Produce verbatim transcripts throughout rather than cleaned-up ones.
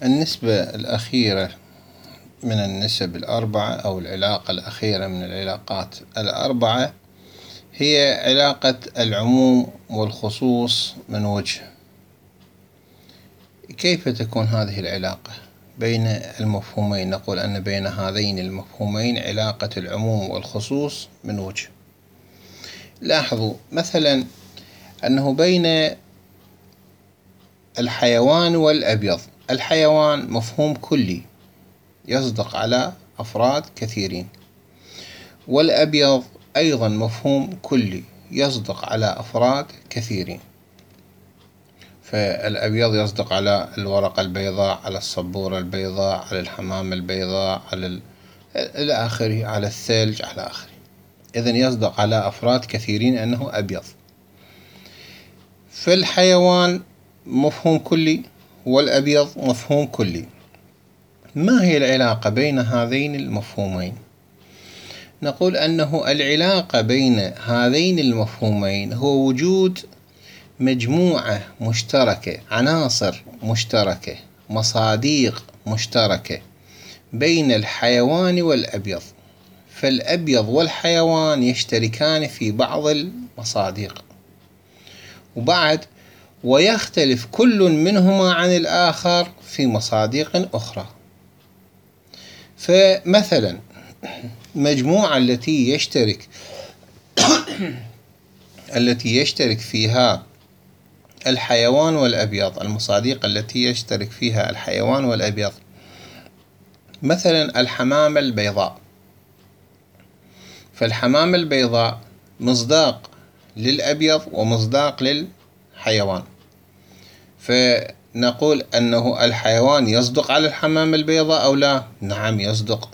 النسبة الأخيرة من النسب الأربعة أو العلاقة الأخيرة من العلاقات الأربعة هي علاقة العموم والخصوص من وجه. كيف تكون هذه العلاقة بين المفهومين؟ نقول أن بين هذين المفهومين علاقة العموم والخصوص من وجه. لاحظوا مثلا أنه بين الحيوان والأبيض، الحيوان مفهوم كلي يصدق على أفراد كثيرين، والأبيض أيضا مفهوم كلي يصدق على أفراد كثيرين. فالأبيض يصدق على الورقة البيضاء، على السبورة البيضاء، على الحمامة البيضاء، على ال... إلى آخره، على الثلج، على آخره. إذن يصدق على أفراد كثيرين أنه أبيض. فالحيوان مفهوم كلي والأبيض مفهوم كلي. ما هي العلاقة بين هذين المفهومين؟ نقول أنه العلاقة بين هذين المفهومين هو وجود مجموعة مشتركة، عناصر مشتركة، مصاديق مشتركة بين الحيوان والأبيض. فالأبيض والحيوان يشتركان في بعض المصاديق، وبعد ويختلف كل منهما عن الآخر في مصاديق أخرى. فمثلا المجموعة التي يشترك التي يشترك فيها الحيوان والأبيض، المصاديق التي يشترك فيها الحيوان والأبيض، مثلا الحمامة البيضاء. فالحمامة البيضاء مصداق للأبيض ومصداق للحيوان، فنقول أنه الحيوان يصدق على الحمامة البيضاء أو لا؟ نعم يصدق،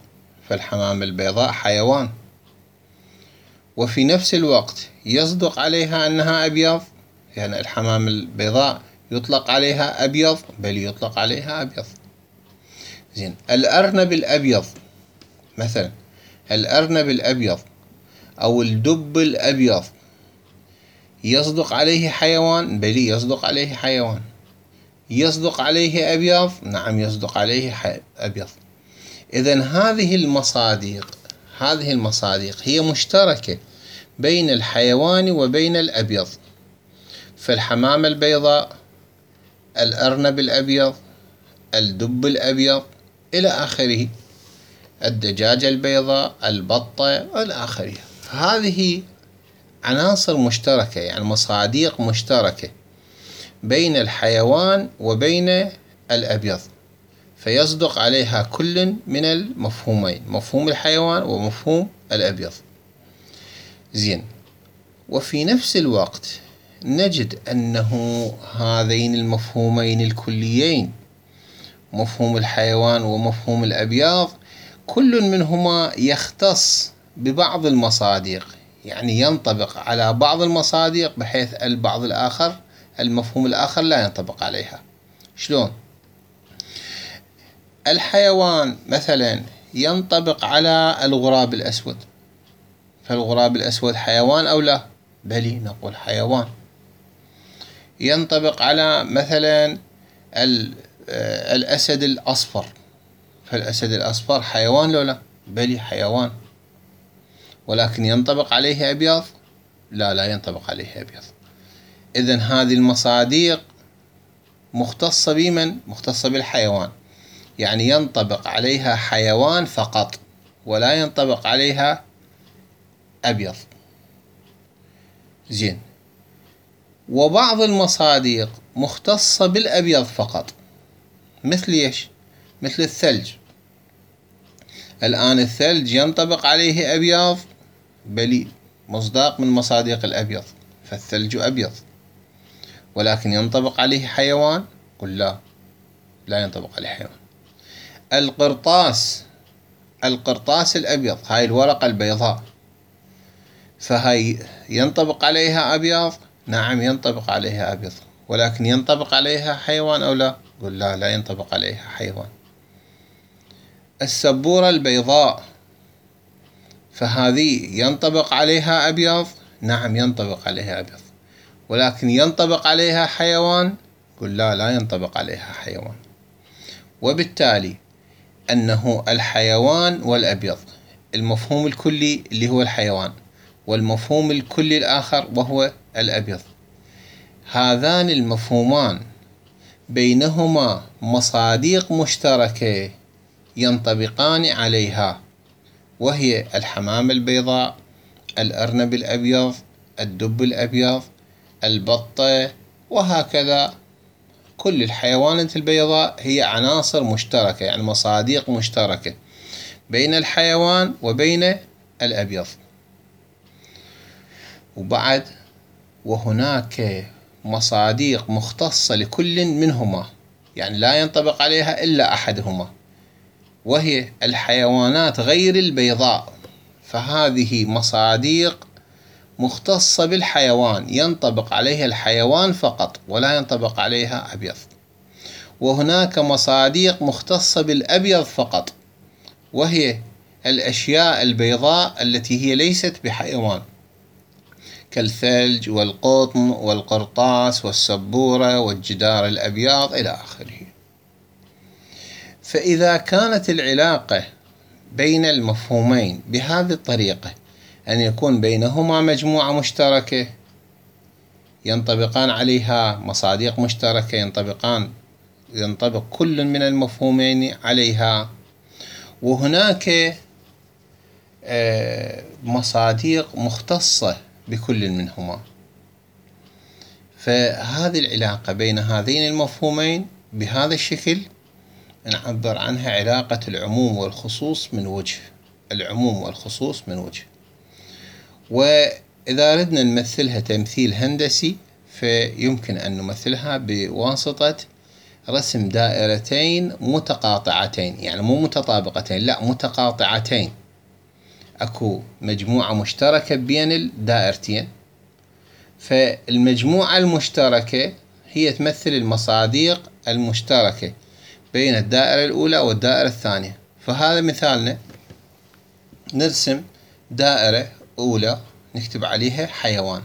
فالحمامة البيضاء حيوان، وفي نفس الوقت يصدق عليها أنها أبيض، يعني الحمامة البيضاء يطلق عليها أبيض، بل يطلق عليها أبيض. زين، الأرنب الأبيض مثلا، الأرنب الأبيض أو الدب الأبيض يصدق عليه حيوان؟ بل يصدق عليه حيوان. يصدق عليه أبيض؟ نعم يصدق عليه أبيض. إذن هذه المصاديق، هذه المصاديق هي مشتركة بين الحيوان وبين الأبيض. فالحمامة البيضاء، الأرنب الأبيض، الدب الأبيض إلى آخره، الدجاجة البيضاء، البطة إلى آخره، هذه عناصر مشتركة، يعني مصاديق مشتركة بين الحيوان وبين الأبيض، فيصدق عليها كل من المفهومين، مفهوم الحيوان ومفهوم الأبيض. زين، وفي نفس الوقت نجد أنه هذين المفهومين الكليين، مفهوم الحيوان ومفهوم الأبيض، كل منهما يختص ببعض المصاديق، يعني ينطبق على بعض المصاديق بحيث البعض الآخر، المفهوم الآخر لا ينطبق عليها. شلون؟ الحيوان مثلا ينطبق على الغراب الأسود، فالغراب الأسود حيوان أو لا؟ بل نقول حيوان. ينطبق على مثلا الأسد الأصفر، فالأسد الأصفر حيوان لو لا؟ بل حيوان. ولكن ينطبق عليه أبيض؟ لا، لا ينطبق عليه أبيض. إذن هذه المصاديق مختصة بمن؟ مختصة بالحيوان، يعني ينطبق عليها حيوان فقط ولا ينطبق عليها أبيض. زين، وبعض المصاديق مختصة بالأبيض فقط، مثل إيش؟ مثل الثلج. الآن الثلج ينطبق عليه أبيض؟ بلي، مصداق من مصاديق الأبيض، فالثلج أبيض. ولكن ينطبق عليه حيوان؟ قل لا، لا ينطبق عليه حيوان. القرطاس، القرطاس الأبيض، هاي الورقة البيضاء، فهاي ينطبق عليها أبيض؟ نعم ينطبق عليها أبيض، ولكن ينطبق عليها حيوان أو لا؟ قل لا، لا ينطبق عليها حيوان. السبورة البيضاء، فهذه ينطبق عليها أبيض؟ نعم ينطبق عليها أبيض، ولكن ينطبق عليها حيوان؟ قل لا، لا ينطبق عليها حيوان. وبالتالي أنه الحيوان والأبيض، المفهوم الكلي اللي هو الحيوان والمفهوم الكلي الآخر وهو الأبيض، هذان المفهومان بينهما مصاديق مشتركة ينطبقان عليها، وهي الحمامة البيضاء، الأرنب الأبيض، الدب الأبيض، البطة، وهكذا. كل الحيوانات البيضاء هي عناصر مشتركة، يعني مصاديق مشتركة بين الحيوان وبين الأبيض. وبعد وهناك مصاديق مختصة لكل منهما، يعني لا ينطبق عليها إلا أحدهما، وهي الحيوانات غير البيضاء، فهذه مصاديق مختصة بالحيوان، ينطبق عليها الحيوان فقط ولا ينطبق عليها أبيض. وهناك مصاديق مختصة بالأبيض فقط، وهي الأشياء البيضاء التي هي ليست بحيوان، كالثلج والقطن والقرطاس والسبورة والجدار الأبيض إلى آخره. فإذا كانت العلاقة بين المفهومين بهذه الطريقة، أن يكون بينهما مجموعة مشتركة ينطبقان عليها مصاديق مشتركة، ينطبقان ينطبق كل من المفهومين عليها، وهناك مصاديق مختصة بكل منهما، فهذه العلاقة بين هذين المفهومين بهذا الشكل نعبر عنها علاقة العموم والخصوص من وجه، العموم والخصوص من وجه. وإذا أردنا نمثلها تمثيل هندسي فيمكن أن نمثلها بواسطة رسم دائرتين متقاطعتين، يعني مو متطابقتين، لا متقاطعتين، أكو مجموعة مشتركة بين الدائرتين، فالمجموعة المشتركة هي تمثل المصاديق المشتركة بين الدائرة الأولى والدائرة الثانية. فهذا مثالنا، نرسم دائرة أولى نكتب عليها حيوان،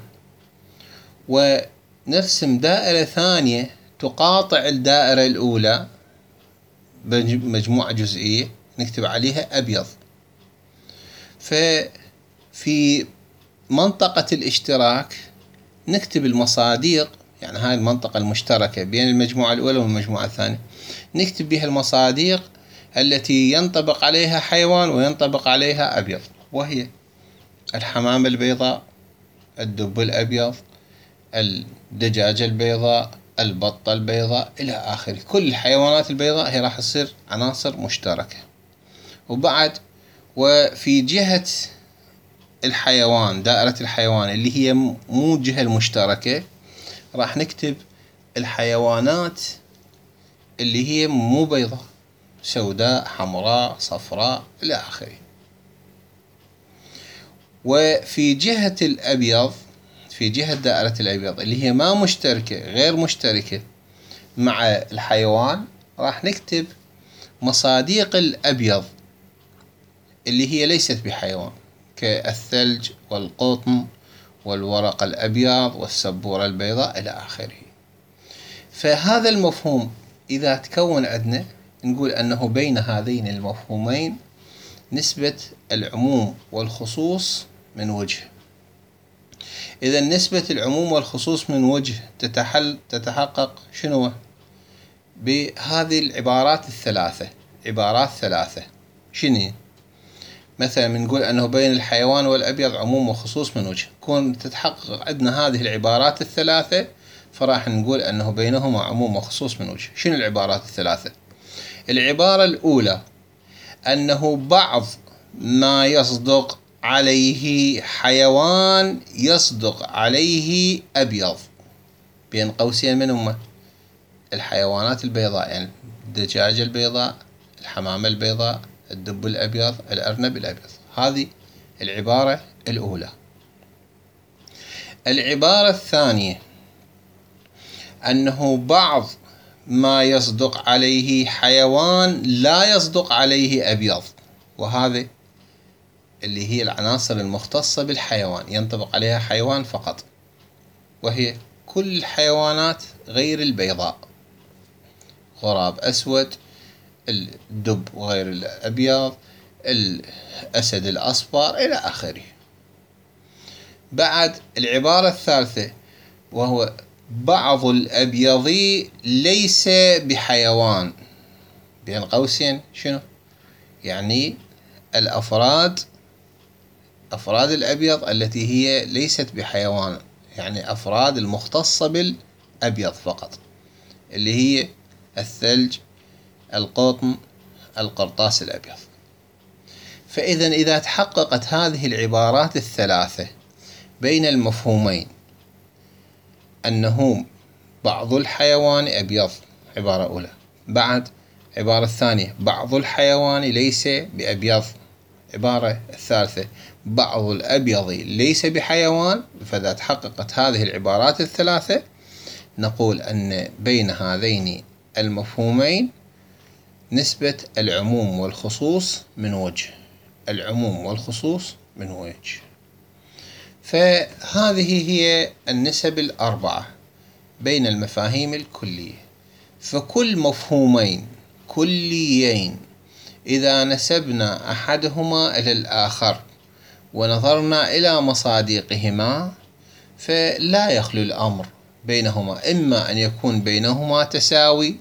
ونرسم دائرة ثانية تقاطع الدائرة الأولى بمجموعة جزئية نكتب عليها أبيض. ففي منطقة الاشتراك نكتب المصاديق، يعني هاي المنطقة المشتركة بين المجموعة الأولى والمجموعة الثانية، نكتب بها المصاديق التي ينطبق عليها حيوان وينطبق عليها أبيض، وهي الحمامة البيضاء، الدب الأبيض، الدجاجة البيضاء، البطة البيضاء إلى آخره. كل الحيوانات البيضاء هي راح تصير عناصر مشتركة. وبعد وفي جهة الحيوان، دائرة الحيوان اللي هي مو الجهة المشتركة، راح نكتب الحيوانات اللي هي مو بيضاء، سوداء، حمراء، صفراء إلى آخره. وفي جهة الأبيض، في جهة دائرة الأبيض اللي هي ما مشتركة، غير مشتركة مع الحيوان، راح نكتب مصاديق الأبيض اللي هي ليست بحيوان، كالثلج والقطن والورق الأبيض والسبورة البيضاء إلى آخره. فهذا المفهوم إذا تكون عندنا نقول أنه بين هذين المفهومين نسبة العموم والخصوص من وجه. إذا نسبة العموم والخصوص من وجه تتحل تتحقق شنو؟ بهذه العبارات الثلاثة، عبارات ثلاثة. شنو؟ مثلا بنقول أنه بين الحيوان والأبيض عموم وخصوص من وجه، كون تتحقق عندنا هذه العبارات الثلاثة فراح نقول أنه بينهما عموم وخصوص من وجه. شنو العبارات الثلاثة؟ العبارة الأولى أنه بعض ما يصدق عليه حيوان يصدق عليه أبيض، بين قوسين من هم؟ الحيوانات البيضاء، يعني الدجاجة البيضاء، الحمامة البيضاء، الدب الأبيض، الأرنب الأبيض. هذه العبارة الأولى. العبارة الثانية أنه بعض ما يصدق عليه حيوان لا يصدق عليه أبيض، وهذا اللي هي العناصر المختصة بالحيوان، ينطبق عليها حيوان فقط، وهي كل الحيوانات غير البيضاء، غراب أسود، الدب غير الأبيض، الأسد الأصفر، إلى آخره. بعد العبارة الثالثة وهو بعض الأبيض ليس بحيوان، بين قوسين شنو؟ يعني الأفراد، أفراد الأبيض التي هي ليست بحيوان، يعني أفراد المختصة بالأبيض فقط، اللي هي الثلج، القطن، القرطاس الأبيض. فإذا إذا تحققت هذه العبارات الثلاثة بين المفهومين، أنه بعض الحيوان أبيض، عبارة أولى، بعد عبارة الثانية بعض الحيوان ليس بأبيض، عبارة الثالثة بعض الأبيض ليس بحيوان، فإذا تحققت هذه العبارات الثلاثة نقول أن بين هذين المفهومين نسبة العموم والخصوص من وجه، العموم والخصوص من وجه. فهذه هي النسب الأربعة بين المفاهيم الكلية. فكل مفهومين كليين إذا نسبنا أحدهما إلى الآخر ونظرنا إلى مصادقهما فلا يخلو الأمر بينهما، إما أن يكون بينهما تساوي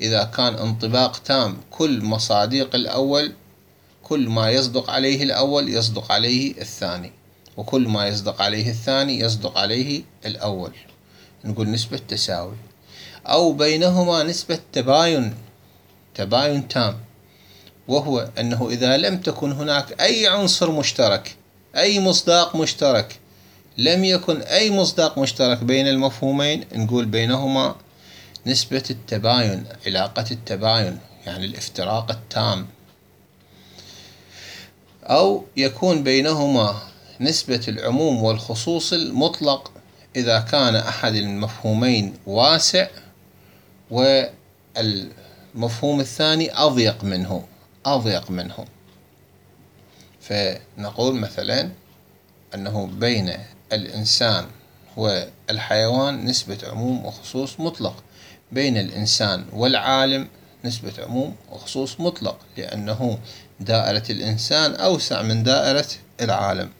إذا كان انطباق تام، كل مصادق الأول، كل ما يصدق عليه الأول يصدق عليه الثاني، وكل ما يصدق عليه الثاني يصدق عليه الأول، نقول نسبة تساوي. أو بينهما نسبة تباين، تباين تام، وهو أنه إذا لم تكن هناك أي عنصر مشترك، أي مصداق مشترك، لم يكن أي مصداق مشترك بين المفهومين، نقول بينهما نسبة التباين، علاقة التباين، يعني الافتراق التام. أو يكون بينهما نسبة العموم والخصوص المطلق إذا كان أحد المفهومين واسع والمفهوم الثاني أضيق منه، أضيق منه. فنقول مثلا أنه بين الإنسان والحيوان نسبة عموم وخصوص مطلق، بين الإنسان والعالم نسبة عموم وخصوص مطلق، لأنه دائرة الإنسان أوسع من دائرة العالم،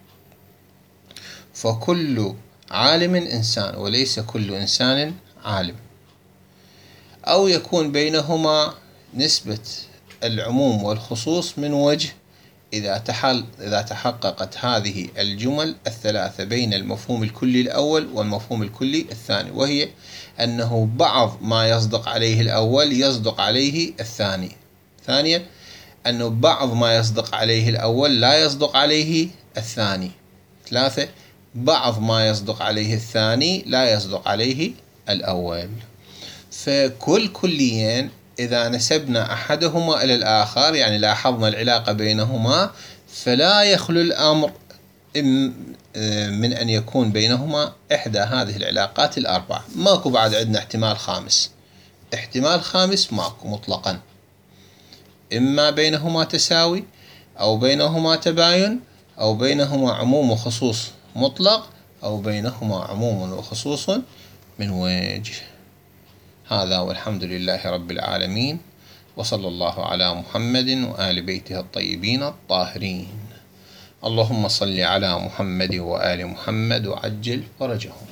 فكل عالم إنسان وليس كل إنسان عالم. أو يكون بينهما نسبة العموم والخصوص من وجه إذا تحل إذا تحققت هذه الجمل الثلاثة بين المفهوم الكلي الأول والمفهوم الكلي الثاني، وهي أنه بعض ما يصدق عليه الأول يصدق عليه الثاني. ثانيا أنه بعض ما يصدق عليه الأول لا يصدق عليه الثاني. ثلاثة بعض ما يصدق عليه الثاني لا يصدق عليه الأول. فكل كليين إذا نسبنا أحدهما إلى الآخر، يعني لاحظنا العلاقة بينهما، فلا يخلو الأمر من أن يكون بينهما إحدى هذه العلاقات الأربعة. ماكو بعد عندنا احتمال خامس، احتمال خامس ماكو مطلقا، إما بينهما تساوي أو بينهما تباين أو بينهما عموم وخصوص مطلق أو بينهما عموم وخصوص من وجه. هذا والحمد لله رب العالمين، وصلى الله على محمد وآل بيته الطيبين الطاهرين. اللهم صل على محمد وآل محمد وعجل فرجهم.